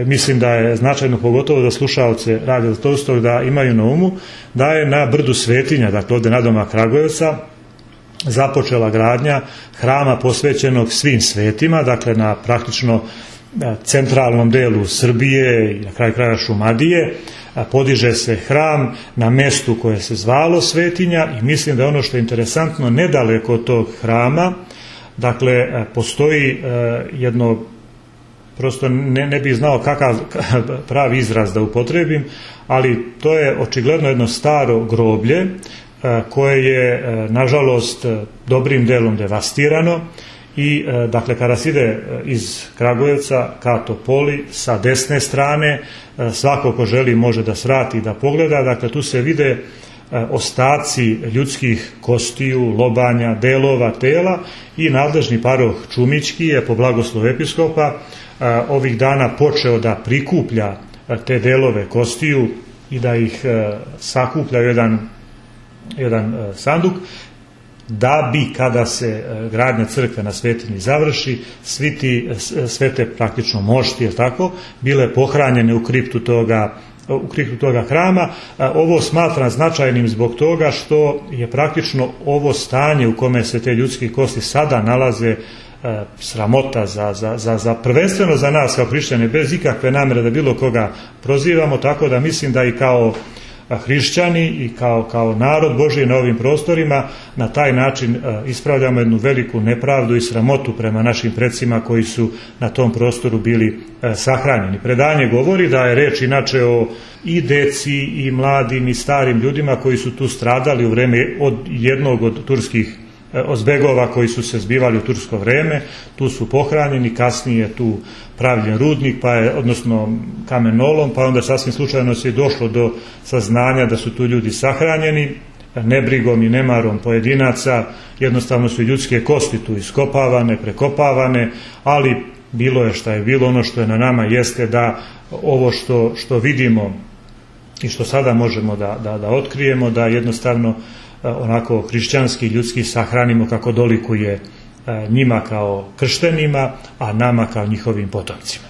mislim da je značajno, pogotovo za slušaoce Radio Tolstog, da imaju na umu, da je na brdu Svetinja, dakle ovdje nadomak Kragujevca, započela gradnja hrama posvećenog svim svetima, dakle na praktično centralnom delu Srbije i na kraju kraja Šumadije. Podiže se hram na mjestu koje se zvalo Svetinja i mislim da je ono što je interesantno, nedaleko od tog hrama, dakle postoji jedno, prosto ne bih znao kakav pravi izraz da upotrebim, ali to je očigledno jedno staro groblje koje je nažalost dobrim delom devastirano i dakle kada se ide iz Kragujevca ka Topoli sa desne strane, svako ko želi može da svrati i da pogleda, dakle tu se vide ostaci ljudskih kostiju, lobanja, delova tela i nadležni paroh Čumićki je po blagoslovu episkopa ovih dana počeo da prikuplja te delove kostiju i da ih sakuplja u jedan sanduk, da bi kada se gradnja crkve na Svetinji završi, sve te praktično mošti, tako, bile pohranjene u kriptu toga hrama. Ovo smatram značajnim zbog toga što je praktično ovo stanje u kome se te ljudske kosti sada nalaze sramota za prvenstveno za nas kao hrišćane, bez ikakve namere da bilo koga prozivamo, tako da mislim da i kao hrišćani i kao narod Božji na ovim prostorima na taj način ispravljamo jednu veliku nepravdu i sramotu prema našim precima koji su na tom prostoru bili sahranjeni. Predanje govori da je reč inače o i deci i mladim i starim ljudima koji su tu stradali u vreme od jednog od turskih zbegova koji su se zbivali u tursko vreme, tu su pohranjeni, kasnije tu pravljen rudnik, odnosno kamenolom, pa onda sasvim slučajno se je došlo do saznanja da su tu ljudi sahranjeni, nebrigom i nemarom pojedinaca, jednostavno su ljudske kosti tu iskopavane, prekopavane, ali bilo je šta je bilo, ono što je na nama jeste da ovo što vidimo i što sada možemo da otkrijemo, da jednostavno onako hrišćanski, ljudski sahranimo kako dolikuje njima kao krštenima, a nama kao njihovim potomcima.